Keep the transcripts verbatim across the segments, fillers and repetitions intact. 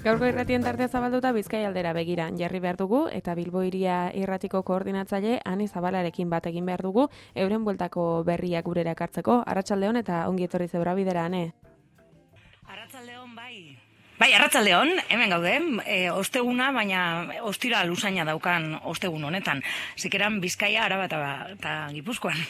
Gaurko irratien tartea zabalduta Bizkaia aldera begira jarri behar dugu eta Bilbo hiria irratiko koordinatzaile Ani Zabalarekin bat egin behar dugu euren bueltako berriak gurera ekartzeko. Arratsaldeon eta ongi etorri zeura bidera, Ane. Arratsaldeon bai. Bai, arratsaldeon, hemen gaude, e, osteguna, baina ostira luzaina daukan ostegun honetan. Zikeran Bizkaia, Araba eta Gipuzkoan.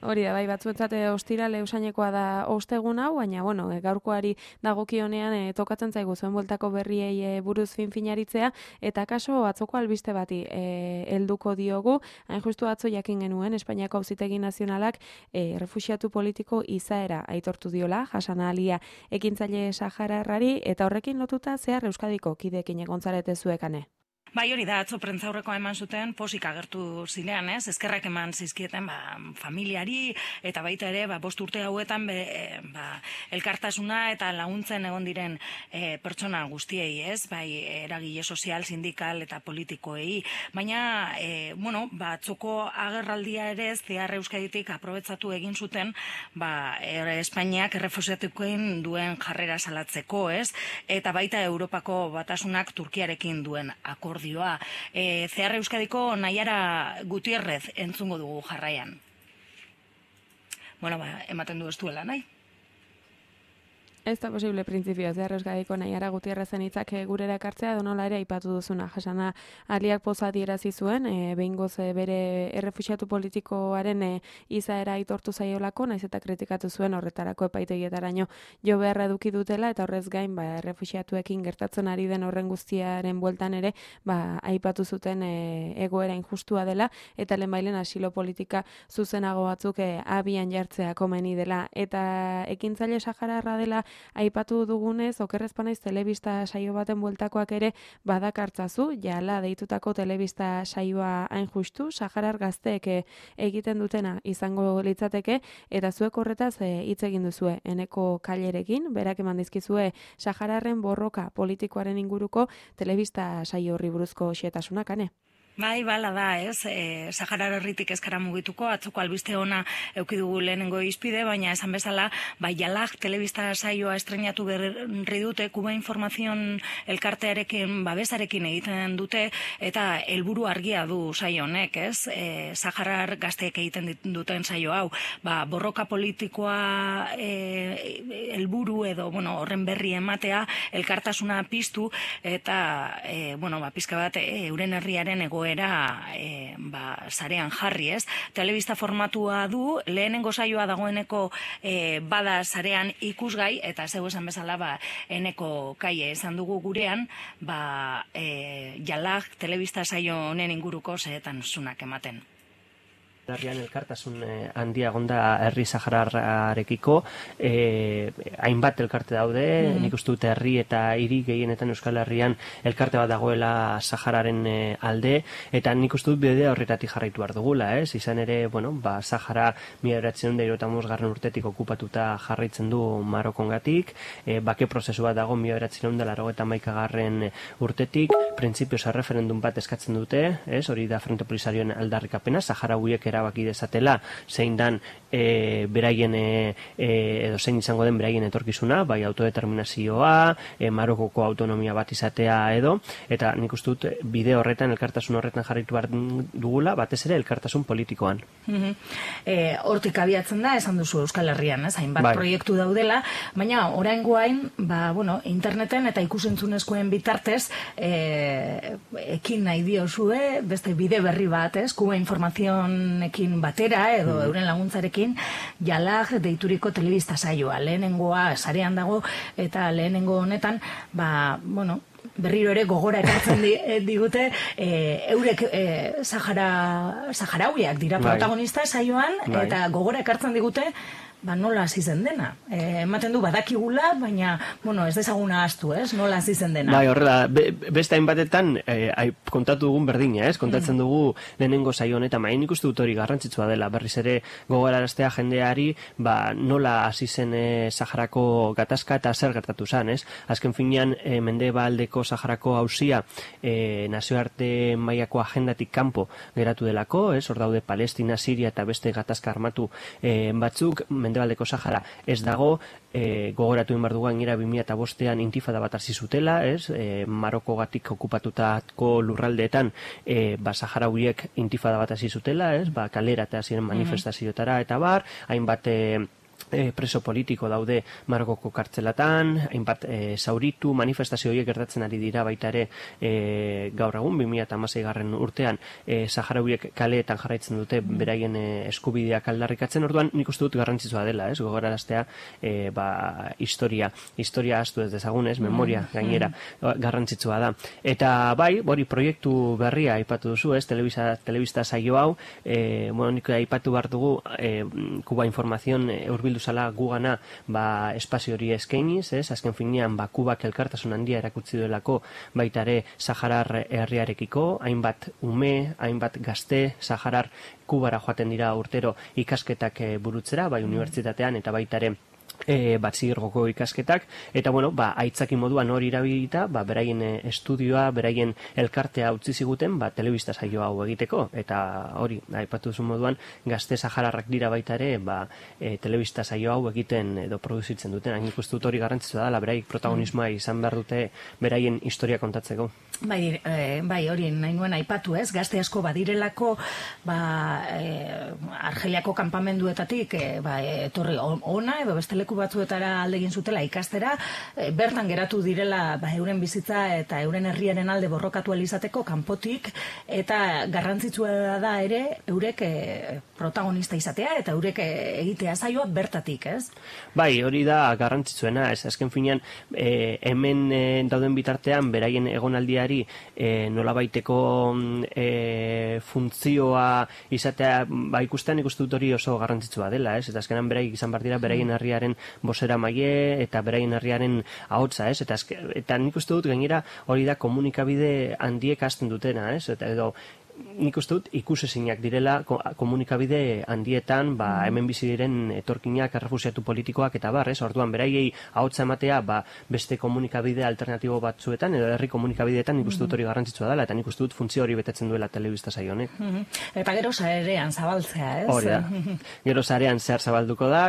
Hori da, bai, batzuetzat ostira leusainekoa da ostegun hau, baina, bueno, gaurkoari dagokionean e, tokatzen zaigu zuen bueltako berriei e, buruz fin-finaritzea, eta kaso atzoko albiste bati e, helduko diogu, hain justu atzo jakin genuen, Espainiako Auzitegi Nazionalak e, refuxiatu politiko izaera aitortu diola, Hasana Alia ekintzaile sahararrari, eta horrekin lotuta zehar Euskadiko kideekin egon zarete zuekane. Bai, hori da, atzo prentzaurrekoa eman zuten, posik agertu zinean, ez? Eskerrak eman zizkieten ba, familiari, eta baita ere, ba, bost urte hauetan be, ba, elkartasuna eta laguntzen egon diren e, pertsona guztiei, ez? Bai, eragile sozial, sindikal eta politikoei. Baina, e, bueno, ba, atzoko agerraldia ere ez, zehar Euskaditik aprobetsatu egin zuten, ba, er, Espainiak errefuxiatukoen duen jarrera salatzeko, ez? Eta baita Europako Batasunak Turkiarekin duen akordio. E, Zehar Euskadiko Naiara Gutierrez entzungo dugu jarraian. Bueno, ba, ematen du ez duela, nahi? Ez da posible printzipioa, Zehar Euskadiko Naiara Gutierrezen hitzak gurera ekartzea, donola ere aipatu duzuna. Hasana Aliak poza adierazi zuen, e, behingoz e, bere errefuxiatu politikoaren e, izaera aitortu zaiolako, naiz eta kritikatu zuen horretarako epaitegietaraino jo beharra eduki dutela, eta horrez gain, ba, errefuxiatuekin gertatzen ari den horren guztiaren bueltan ere, ba, aipatu zuten e, egoera injustua dela, eta lehenbailen asilo politika zuzenago batzuk e, abian jartzea komeni dela, eta ekintzaile sahararra dela aipatu dugunez, okerrezpanaiz telebista saio baten bueltakoak ere badakartzazu, jala deitutako telebista saioa hain justu, saharar gazteek egiten dutena izango litzateke, eta zuek horretaz hitz egin duzue, Eneko Kailerekin, berak eman dizkizue sahararren borroka politikoaren inguruko telebista saio horri buruzko xehetasunak, Ane? Bai, bala da, ez, e, Saharar herritik ezkara mugituko, atzoko albiste ona eduki dugu lehenengo izpide, baina esan bezala, bai, Jalak telebista saioa estrenatu berri dute, Kuba Informazion elkartearekin, babesarekin egiten dute, eta helburu argia du saio honek, ez, e, Saharar gazteek egiten duten saio hau, ba, borroka politikoa e, helburu edo, bueno, horren berri ematea, elkartasuna piztu, eta, e, bueno, ba, pizka bat, e, euren herriaren ego era e, ba, sarean jarri, ez? Telebista formatua du, lehenengo saioa dagoeneko e, bada sarean ikusgai, eta zeu esan bezala, ba, Eneko Kaie esan dugu gurean, ba, e, Jalak telebista saio honen inguruko zeetan zunak ematen. Herrian elkartasun eh, handia gonda herri sahararrekiko, eh, hainbat elkarte daude, mm. nik uste dut herri eta hiri gehienetan Euskal Herrian elkarte bat dagoela Sahararen eh, alde, eta nik uste dut bidea horretatik jarraitu behar dugula, ez? Izan ere, bueno, ba, Sahara mila bederatziehun eta hirurogeita hamabost garren urtetik okupatuta jarraitzen du Marokongatik, eh, bake prozesu bat dago mila bederatziehun eta laurogeita hamaika garren urtetik, printzipioz erreferendum bat eskatzen dute, ez? Hori da Frente Polisarioen aldarrikapena, Saharauiek erabaki dezatela zein dan e, beraien e, edo zein izango den beraien etorkizuna, bai autodeterminazioa, e, Marokoko autonomia bat izatea edo, eta nik uste dut bide horretan, elkartasun horretan jarraitu behar dugula, batez ere elkartasun politikoan. Mm-hmm. e, hortik abiatzen da, esan duzu Euskal Herrian, ez? Hainbat bai. Proiektu daudela, baina oraingoain, ba, bueno, interneten eta ikusentzunezkoen bitartez e, ekin nahi diozue, beste bide berri bat, ez? Kuba Informazion ekin batera edo mm. euren laguntzarekin Jalak deituriko telebista saioa. Lehenengoa sarean dago eta lehenengo honetan, ba, bueno, berriro ere gogora ekartzen di, digute e, eurek e, Sahara, Saharauiak dira protagonista saioan, bai. Eta gogora ekartzen digute ba, nola hasi zen dena. E, ematen du badakigula, baina, bueno, ez dezaguna ahaztu, ez? Nola hasi zen dena. Bai, horrela, be, beste hainbatetan e, kontatu dugun berdina, ez? Kontatzen mm. dugu lehenengo saio honetan, main ikustu dut hori garrantzitsua dela, berriz ere gogoraraztea jendeari, ba, nola hasi zen e, Saharako gatazka eta zer gertatu zen, ez? Azken finean, e, Mendebaldeko Saharako auzia e, nazioarte mailako agendatik kanpo geratu delako, ez? Hor daude Palestina, Siria eta beste gatazka armatu e, batzuk, Mendebaldeko Sahara ez dago, e, gogoratu inbar dugu gainera bi mila bostean intifada bat hasi zutela, ez? E, Marokogatik okupatutako lurraldeetan e, ba, Saharawiek intifada bat hasi zutela, ez? Ba, kalera eta ziren manifestazioetara eta bar, hainbat e, E, preso politiko daude Marokoko kartzelatan, hainbat e, zauritu, manifestazio horiek gertatzen ari dira baita ere e, gaur egun, bi mila hamasei garren urtean, e, Saharawiek kaleetan jarraitzen dute beraien e, eskubideak aldarrikatzen, orduan nik uste dut garrantzitsua dela, ez, gogoraraztea e, ba, historia, historia astu ez dezagun, ez, memoria gainera, garrantzitsua da. Eta bai, hori proiektu berria aipatu duzu, ez, telebista, telebista saio hau, e, bueno, nik aipatu behar dugu, e, Kuba Informazion e, urbildu zala gugana ba, espazio hori eskainiz, ez? Azken finean ba, Kubak elkartasun handia erakutsi duelako baitare Saharar herriarekiko, hainbat ume, hainbat gazte, Saharar Kubara joaten dira urtero ikasketak e, burutzera, bai unibertsitatean eta baitare E, batzigirgoko ikasketak, eta bueno, ba, aitzaki moduan hori irabilita, ba, beraien e, estudioa, beraien elkartea utzi ziguten, ba, telebista saio hau egiteko, eta hori, aipatu zuen moduan, gazte sahararrak dira baita ere, ba, e, telebista saio hau egiten edo produzitzen duten, hain ikustu dut hori garrantzitsua da, beraik protagonismoa izan behar dute beraien historia kontatzeko. Bai, e, bai, hori nahi nuen aipatu, ez, gazte asko badirelako, ba, e, Argeliako kanpamenduetatik, e, ba, etorri ona, edo beste leku batzuetara alde egin zutela ikastera, e, bertan geratu direla ba, euren bizitza eta euren herriaren alde borrokatu izateko kanpotik, eta garrantzitsua da ere eurek e, protagonista izatea eta eurek e, egitea saioa bertatik, ez? Bai, hori da garrantzitsuena, ez, azken finean e, hemen e, dauden bitartean beraien egonaldiari e, nolabaiteko e, funtzioa izatea, ba, ikustean ikustu dut hori oso garrantzitsua dela, ez? Eta azkenan beraik izan behar dira beraien herriaren bozera maile eta beraien herriaren ahotsa, ez? Eta, eta nik uste dut gainera hori da komunikabide handiek hasten dutena, ez? Eta edo nik uste dut ikusezinak direla komunikabide handietan, ba, hemen bizi diren etorkinak, errefusiatu politikoak eta bar, ez? Orduan beraiei ahotsa ematea, ba, beste komunikabide alternatibo batzuetan edo herri komunikabideetan nik uste dut hori garrantzitsua dela eta nik uste dut funtzio hori betetzen duela telebista saio honek. Eta gero sarean zabaltzea, ez? Hori da. Gero sarean zehar zabalduko da,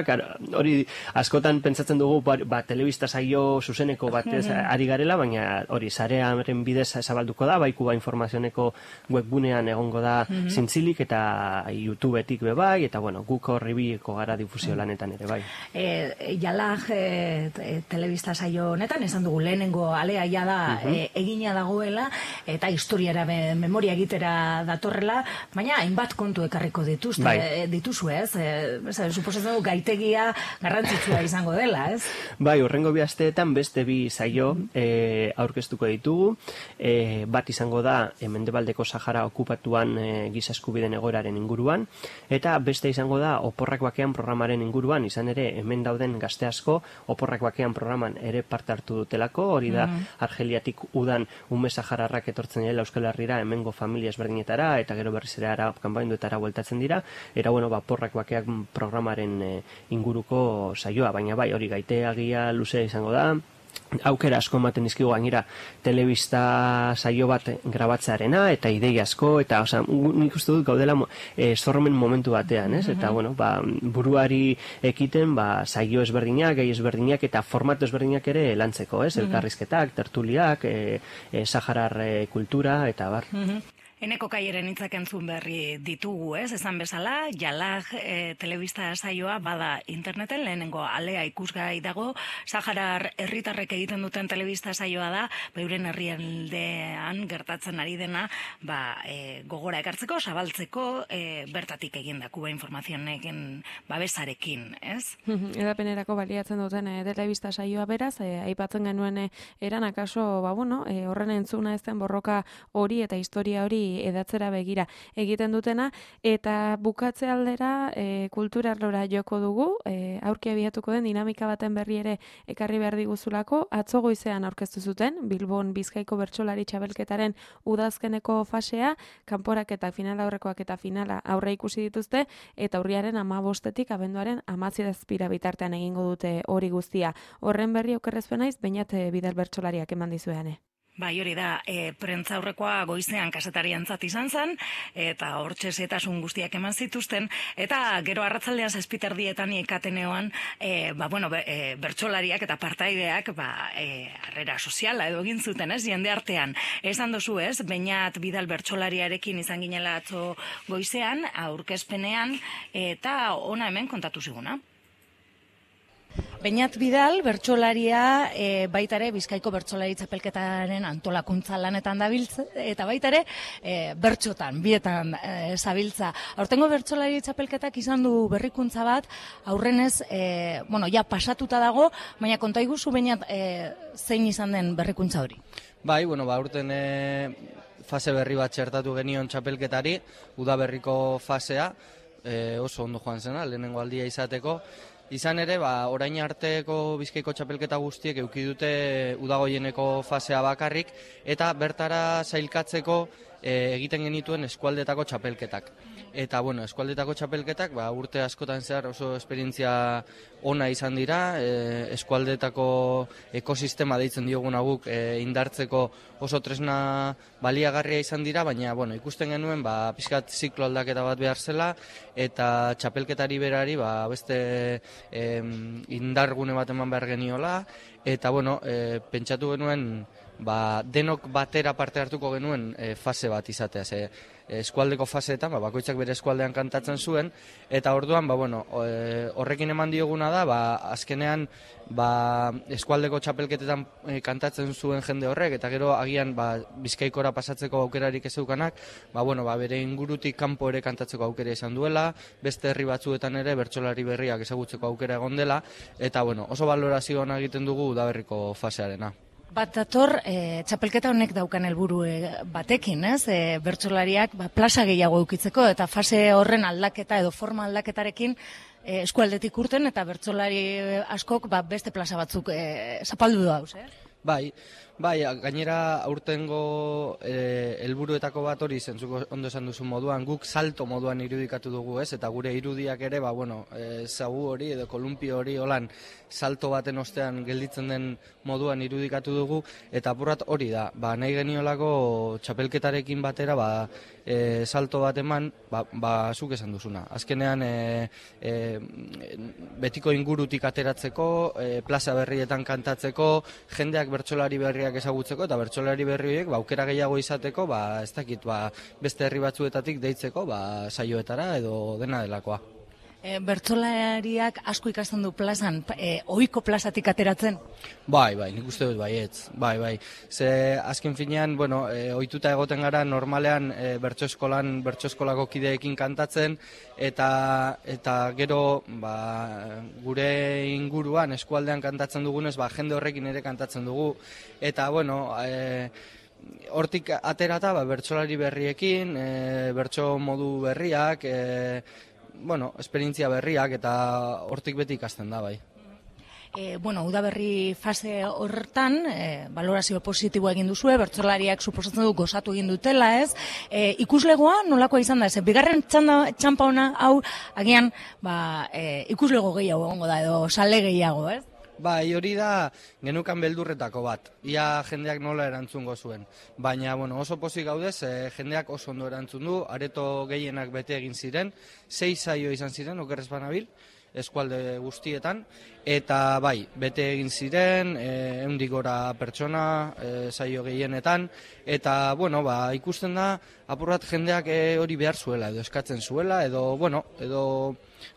hori askotan pentsatzen dugu ba, telebista saio zuzeneko batez ari garela, baina hori sarearen bidez zabalduko da, bai Kuba Informazioneko webgunean egongo da mm -hmm. zintzilik eta YouTubetik be bai, eta bueno, guk horri bieko gara difusio lanetan ere bai. E, Jalag e, telebista saio honetan, esan dugu lehenengo alea ja da mm -hmm. e, egina dagoela, eta historiara be, memoria egitera datorrela, baina hainbat kontu ekarriko dituzte, bai. e, dituzu ez? E, suposatzen dugu gaitegia garrantzitsua izango dela, ez? Bai, horrengo bi asteetan beste bi saio mm -hmm. e, aurkeztuko ditugu, e, bat izango da e, Mendebaldeko Sahara okupatuan e, giza eskubideen egoeraren inguruan, eta beste izango da Oporrak Bakean programaren inguruan, izan ere hemen dauden gazte asko Oporrak Bakean programan ere parte hartu dutelako, hori da mm. Argeliatik udan ume sahararrak etortzen dira Euskal Herrira hemengo familia ezberdinetara eta gero berriz ere ara kanpainduetara bueltatzen dira, era bueno, ba, Oporrak Bakean programaren e, inguruko saioa, baina bai, hori gaiteagia luzea izango da. Aukera asko ematen dizkigu gainera telebista saio bat grabatzearena eta ideia asko, eta osea, nik uste dut gaudela e, sormen momentu batean, ez? Eta bueno, ba, buruari ekiten ba, saio ezberdinak, gai ezberdinak eta formatu ezberdinak ere lantzeko, ez? Elkarrizketak, tertuliak, e, e, Saharar e, kultura eta bar. Eneko Kaieren hitzak entzun berri ditugu, ez? Esan bezala, Jalag e, telebista saioa bada interneten, lehenengo alea ikusgai dago, Saharar herritarrek egiten duten telebista saioa da, beuren herrialdean gertatzen ari dena, ba, e, gogora ekartzeko, zabaltzeko, e, bertatik egin da, Kuba Informazionekin babesarekin, ez? Edapenerako baliatzen duten e, telebista saioa beraz, e, aipatzen genuen e, eran akaso, ba, bueno, e, horren entzuna ezten borroka hori eta historia hori edatzera begira egiten dutena, eta bukatze aldera e, kultura arlora joko dugu, e, aurki abiatuko den dinamika baten berri ere ekarri behar diguzulako, atzo goizean aurkeztu zuten, Bilbon Bizkaiko bertsolari txabelketaren udazkeneko fasea, kanporaketak, finala aurrekoak eta finala aurre ikusi dituzte, eta urriaren hamabostetik abenduaren hamarzazpira bitartean egingo dute hori guztia. Horren berri okerrezpen naiz, Beñat Bidal bertsolariak eman dizueane. Bai, hori da, e, prentzaurrekoa goizean kasetariantzat izan zen, eta hortxe zetasun guztiak eman zituzten, eta gero arratzaldean zazpiterdietan ikateneoan, e, ba, bueno, be, e, bertsolariak eta partaideak, ba, e, harrera soziala edo egin zuten, ez, jende artean. Esan dozu, ez, Beñat Bidal bertsolariarekin izan ginela atzo goizean, aurkezpenean, eta ona hemen kontatu ziguna. Beñat Bidal, bertsolaria, e, baita ere Bizkaiko bertsolari txapelketaren antolakuntza lanetan dabiltza, eta baita ere e, bertsotan, bietan e, zabiltza. Aurtengo bertsolari txapelketak izan du berrikuntza bat, aurrenez, e, bueno, ja pasatuta dago, baina konta iguzu Beñat e, zein izan den berrikuntza hori? Bai, bueno, ba, aurten e, fase berri bat txertatu genion txapelketari, udaberriko fasea, e, oso ondo joan zena, lehenengo aldia izateko. Izan ere, ba, orain arteko Bizkaiko txapelketa guztiek eduki dute udagoieneko fasea bakarrik, eta bertara sailkatzeko e, egiten genituen eskualdetako txapelketak. Eta, bueno, eskualdetako txapelketak, ba, urte askotan zehar oso esperientzia ona izan dira, e, eskualdetako ekosistema deitzen diogun guk e, indartzeko oso tresna baliagarria izan dira, baina, bueno, ikusten genuen, ba, pixkat ziklo aldaketa bat behar zela, eta txapelketari berari, ba, beste e, indargune bat eman behar geniola, eta, bueno, e, pentsatu genuen, ba, denok batera parte hartuko genuen e, fase bat izatea, ze eskualdeko faseetan, ba, bakoitzak bere eskualdean kantatzen zuen, eta orduan, ba, bueno, e, horrekin eman dioguna da, ba, azkenean, ba, eskualdeko txapelketetan e, kantatzen zuen jende horrek, eta gero agian, ba, Bizkaikora pasatzeko aukerarik ez zeukanak, ba, bueno, ba, bere ingurutik kanpo ere kantatzeko aukera izan duela, beste herri batzuetan ere bertsolari berriak ezagutzeko aukera egon dela, eta, bueno, oso balorazio ona egiten dugu udaberriko fasearena. Bat dator, e, txapelketa honek daukan helburu e, batekin, ez? E, bertsolariak ba, plaza gehiago eukitzeko, eta fase horren aldaketa edo forma aldaketarekin e, eskualdetik urten, eta bertsolari askok ba, beste plaza batzuk e, zapaldu dauz, eh? Bai, bai, gainera aurtengo e, helburuetako bat hori zentzuko ondo esan duzu moduan, guk salto moduan irudikatu dugu, ez? Eta gure irudiak ere, ba, bueno, e, zagu hori edo kolumpio hori holan salto baten ostean gelditzen den moduan irudikatu dugu, eta apurrat hori da, ba, nahi geniolako txapelketarekin batera, ba, e, salto bat eman, ba, ba, zuk esan duzuna. Azkenean, e, e, betiko ingurutik ateratzeko, e, plaza berrietan kantatzeko, jendeak bertsolari berriak ezagutzeko, eta bertsolari berri horiek, ba, aukera gehiago izateko, ba, ez dakit, ba, beste herri batzuetatik deitzeko, ba, saioetara edo dena delakoa. E, bertsolariak asko ikasten du plazan, e, ohiko plazatik ateratzen? Bai, bai, nik uste dut baietz, bai, bai. Ze azken finean, bueno, e, ohituta egoten gara normalean e, bertso eskolan, bertso eskolako kideekin kantatzen, eta eta gero ba, gure inguruan eskualdean kantatzen dugunez, ba, jende horrekin ere kantatzen dugu, eta bueno, e, hortik aterata, ba, bertsolari berriekin, e, bertso modu berriak, e, bueno, esperientzia berriak, eta hortik beti ikasten da, bai. E, bueno, udaberri fase horretan, e, valorazio positiboa egin duzue, bertsolariak suposatzen du gozatu egin dutela, ez? E, ikuslegoa nolakoa izan da, ez? Bigarren txanda, txampa ona, hau, agian, ba, e, ikuslego gehiago egongo da, edo sale gehiago, ez? Bai, hori da genukan beldurretako bat, ia jendeak nola erantzungo zuen. Baina, bueno, oso pozik gaudez, e, jendeak oso ondo erantzun du, areto gehienak bete egin ziren, sei saio izan ziren, okerrez banabil, eskualde guztietan, eta bai, bete egin ziren, e, ehundik gora pertsona, e, saio gehienetan, eta, bueno, ba, ikusten da, apurrat jendeak e, hori behar zuela, edo eskatzen zuela, edo, bueno, edo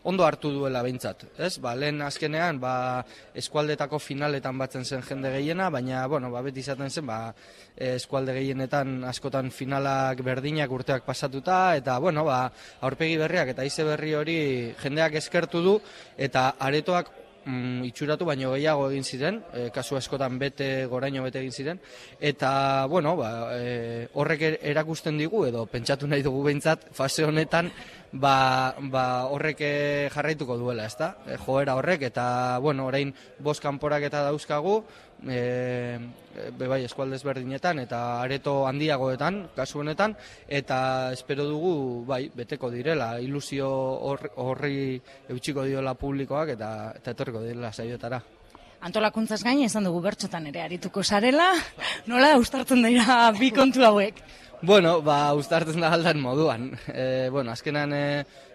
ondo hartu duela behintzat, ez? Ba, lehen azkenean, ba, eskualdetako finaletan batzen zen jende gehiena, baina, bueno, ba, beti izaten zen, ba, eskualde gehienetan askotan finalak berdinak urteak pasatuta, eta, bueno, ba, aurpegi berriak eta ize berri hori jendeak eskertu du, eta aretoak mm, itxuratu baino gehiago egin ziren, e, kasu askotan bete, goraino bete egin ziren, eta, bueno, ba, e, horrek erakusten digu, edo pentsatu nahi dugu behintzat, fase honetan, ba, ba horrek jarraituko duela, ezta? E, joera horrek, eta, bueno, orain bost kanporak eta dauzkagu, e, be bai, eskualdez berdinetan, eta areto handiagoetan, kasu honetan, eta espero dugu, bai, beteko direla, ilusio horri eutxiko diola publikoak, eta, eta etorriko direla saioetara. Antolakuntzaz gain, esan dugu bertsotan ere arituko sarela, nola ustartzen dira bi kontu hauek? Bueno, ba, uztartzen da aldan moduan. E, bueno, azkenan e,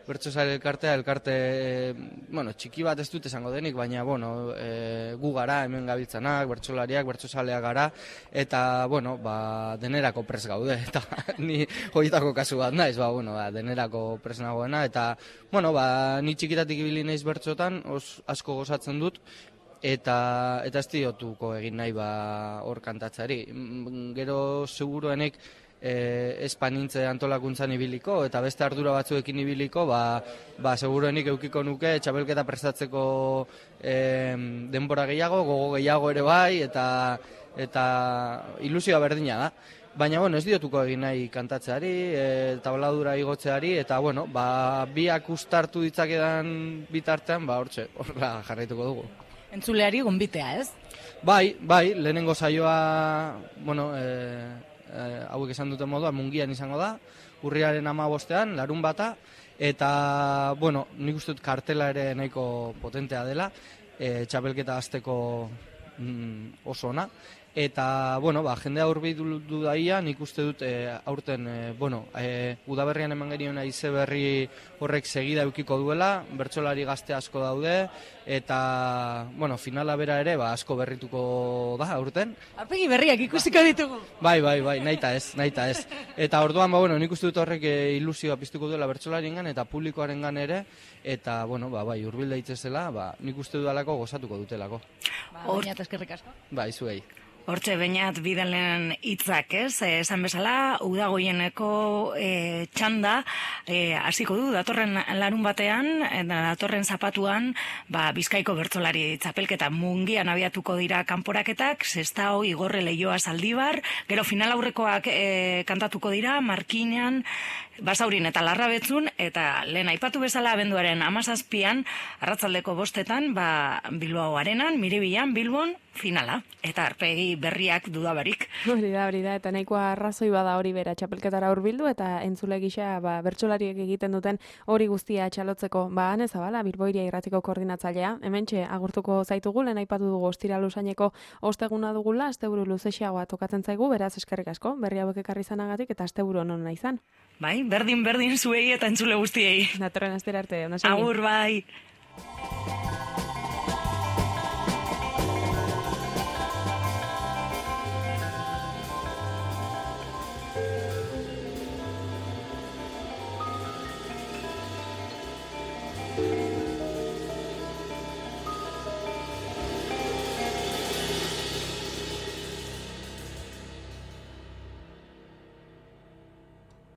bertsozale elkartea, elkarte, e, bueno, txiki bat ez dut esango denik, baina, bueno, e, gu gara, hemen gabiltzanak, bertsolariak, bertsozaleak gara, eta, bueno, ba, denerako pres gaude, eta ni horietako kasu bat naiz, ba, bueno, ba, denerako pres nagoena, eta, bueno, ba, ni txikitatik ibili naiz bertsotan, os, asko gozatzen dut, eta eta ez diotuko egin nahi ba hor kantatzari. Gero seguruenik eh espanintze antolakuntzan ibiliko eta beste ardura batzuekin ibiliko, ba ba seguruenik edukiko nuke txapelketa prestatzeko eh denbora gehiago, gogo gehiago ere bai eta eta ilusioa berdina da. Baina, bueno, ez diotuko egin nahi kantatzeari, e, tabladura igotzeari, eta, bueno, ba, biak ustartu ditzakedan bitartean, ba, hortxe, horrela jarraituko dugu. Entzuleari gonbitea, ez? Bai, bai, lehenengo saioa, bueno, e, e, hauek esan duten moduan, mungian izango da, urriaren hamabostean, larun bata, eta, bueno, nik uste dut kartela ere nahiko potentea dela, e, txapelketa hasteko mm, oso ona, eta, bueno, ba, jendea hurbildu daia, nik uste dut e, aurten, e, bueno, e, udaberrian eman genion aize berri horrek segida eukiko duela, bertsolari gazte asko daude, eta, bueno, finala bera ere, ba, asko berrituko da aurten. Aurpegi berriak ikusiko ditugu. Bai, bai, bai, nahita ez, nahita ez. Eta orduan, ba, bueno, nik uste dut horrek e, ilusioa piztuko duela bertsolariengan eta publikoarengan ere, eta, bueno, ba, bai, hurbil daitzezela, ba, nik uste dudalako gozatuko dutelako. Ba, baina eskerrik asko. Bai, zuei. Hortxe, bainat bidalen hitzak, ez? Esan bezala, udagoieneko e, txanda e, hasiko du, datorren larun batean, datorren zapatuan, ba, Bizkaiko bertsolari txapelketa mungian abiatuko dira kanporaketak, Sestao, Igorre, Leioa, Zaldibar, gero final aurrekoak e, kantatuko dira, Markinan, Basaurin eta Larrabetzun, eta lehen aipatu bezala abenduaren hamazazpian, arratzaldeko bostetan, ba, Bilbao Arenan, Miribilan, Bilbon, finala, eta arpegi berriak dudabarik. Hori da, hori da, eta nahikoa arrazoi bada hori bera txapelketara hurbildu, eta entzule gisa ba, bertsolariek egiten duten hori guztia txalotzeko. Ba, Ane Zabala, Bilboiria irratiko koordinatzailea, hementxe agurtuko zaitugu, lehen aipatu dugu ostira luzaineko osteguna dugula, asteburu luzexeagoa tokatzen zaigu, beraz eskerrik asko, berri hauek ekarri izanagatik, eta asteburu onona izan. Bai, berdin-berdin zuei eta entzule guztiei. Datorren astera arte, ona segi. Agur, bai.